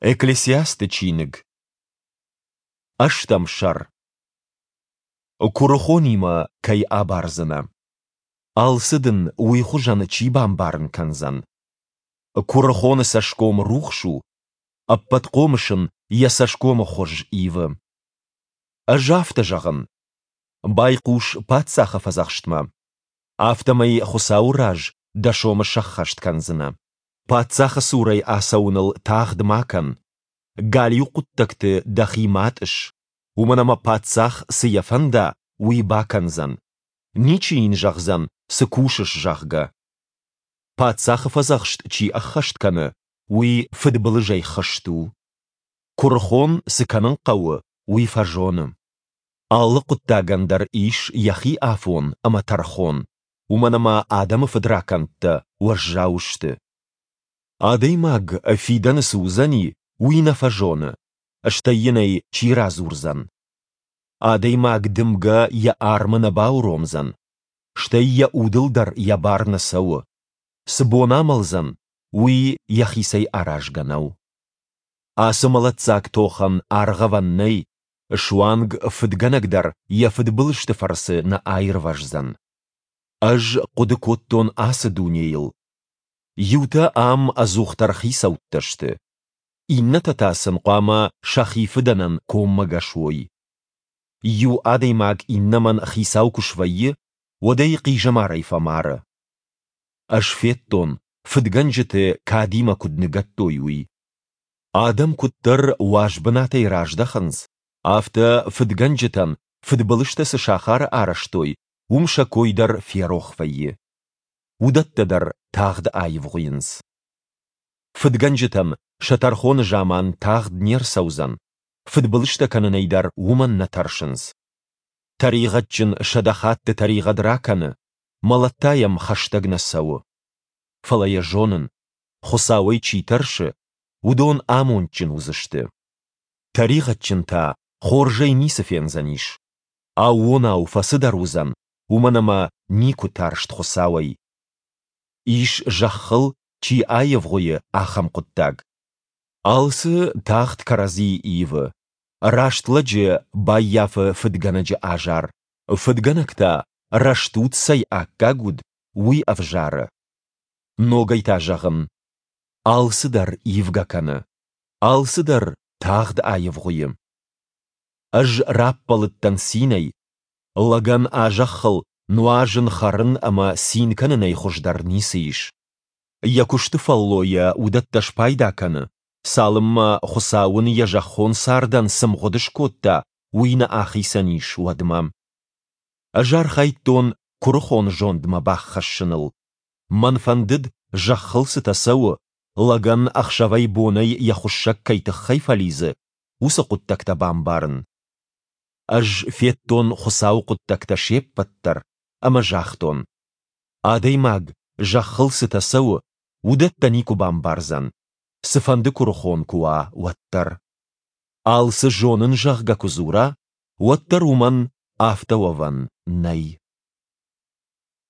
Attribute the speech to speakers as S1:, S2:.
S1: Экклесиасты чиныг. Ӕстӕм сӕр. Куырыхонимӕ кӕй абардзынӕ? Алцы дын уый хуызӕн чи бамбарын кӕндзӕн? Куырыхоны цӕсгом рухс у, Ӕппӕтхъомыс ын йӕ цӕсгомы хуыз ивы. Ӕз афтӕ зӕгъын: байхъус паддзахы фӕдзӕхстмӕ. Афтӕмӕй Хуыцауы раз дӕ сомы сӕххӕст кӕндзынӕ. Паддзахы цурӕй ацӕуыныл тагъд ма кӕн, галиу хъуыддӕгты дӕхи ма тъысс, уымӕн ӕмӕ паддзах, цы йӕ фӕнда, уый бакӕндзӕн, ничи йын зӕгъдзӕн, цы кусыс, зӕгъгӕ. Паддзахы фӕдзӕхст чи ӕххӕст кӕны, уый фыдбылызӕй хызт у. Куырыхон, цы кӕнын хъӕуы, уый фӕзоны. Алы хъуыддагӕн дӕр ис йӕхи афон ӕмӕ тӕрхон, уымӕн ӕмӕ адӕмы фыдракӕндтӕ уӕззау сты. Адӕймаг, фидӕны цы уыдзӕни, уый нӕ фӕзоны, стӕй йын ӕй чи радзурдзӕн? Адӕймаг дымгӕ йӕ армы нӕ бауромдзӕн, стӕй йӕ удыл дӕр йӕ бар нӕ цӕуы. Цы бон амӕлдзӕн, уый йӕхицӕй аразгӕ нӕу. Ацы мӕлӕтдзаг тохӕн аргъӕвӕн нӕй, суанг фыдгӕнӕг дӕр йӕ фыдбылызты фӕрцы нӕ аирвӕздзӕн. Ӕз хъуыды кодтон ацы дунейыл. Иутӕ ам ӕдзухдӕр хицӕуттӕ сты, иннӕтӕ та сын хъуамӕ сӕхи фыдӕнӕн коммӕгӕс уой. Иу адӕймаг иннӕмӕн хицау куы свӕййы, уӕд ӕй хъизӕмарӕй фӕмары. Ӕз федтон, фыдгӕнджыты кадимӕ куыд ныгӕдтой, уый. Адӕм куыддӕр уаз бынатӕй раздӕхынц, афтӕ фыдгӕнджытӕн фыдбылызтӕ цы сахары арӕзтой, уым сӕ кой дӕр ферох вӕййы. Уыдӕттӕ дӕр тагъд аивгъуыйынц. Фыдгӕнджытӕн сӕ тӕрхоны заман тагъд не рцӕудзӕн, фыдбылызтӕ кӕнынӕй дӕр уымӕн нӕ тӕрсынц. Тӕригъӕдджын 100 хатты тӕригъӕд ракӕны, мӕлӕт та йӕм хӕстӕг нӕ цӕуы. Фӕлӕ йӕ зонын, Хуыцауӕй чи тӕрсы, уыдон амондджын уыдзысты. Тӕригъӕдджын та хорзӕй ницы фендзӕнис. Аууонау фӕцыдӕр уыдзӕн, уымӕн ӕмӕ никуы тарст Хуыцауӕй. Ис зӕххыл, чи аивгъуыйы, ахӕм хъуыддаг. Алцы тагъд кӕрӕдзийы ивы. Раст лӕджы баййафы фыдгӕнӕджы азар, фыдгӕнӕг та, рӕстуд цӕй аккаг уыд, уый ӕвзары. Ногӕй та зӕгъын, алцыдӕр ивгӕ кӕны, алцыдӕр тагъд аивгъуыйы. Ӕз раппӕлыдтӕн цинӕй, лӕгӕн а зӕххыл нуазын, хӕрын ӕмӕ цин кӕнынӕй хуыздӕр ницы ис. Йӕ куысты фӕллойӕ уыдӕттӕ спайда кӕны, цалынмӕ, Хуыцау ын йӕ зӕххон цардӕн цы мгъуыд скодта, уый нӕ ахицӕн ис, уӕдмӕ. Ӕз архайдтон куырыхон зондмӕ баххӕссыныл. Мӕн фӕндыд, зӕххыл цытӕ цӕуы, лӕгӕн ӕхсӕвӕй-бонӕй йӕ хуыссӕг кӕй тыххӕй фӕлидзы, уыцы хъуыддӕгтӕ бамбарын. Ӕз федтон Хуыцауы хъуыддӕгтӕ се ппӕт дӕр ӕмӕ загътон: адӕймаг, зӕххыл цытӕ цӕуы, уыдӕттӕ никуы бамбардзӕн, цыфӕнды куырыхон куы уа, уӕддӕр. Алцы зонын, зӕгъгӕ, куы дзура, уӕддӕр уымӕн афтӕ уӕвӕн нӕй.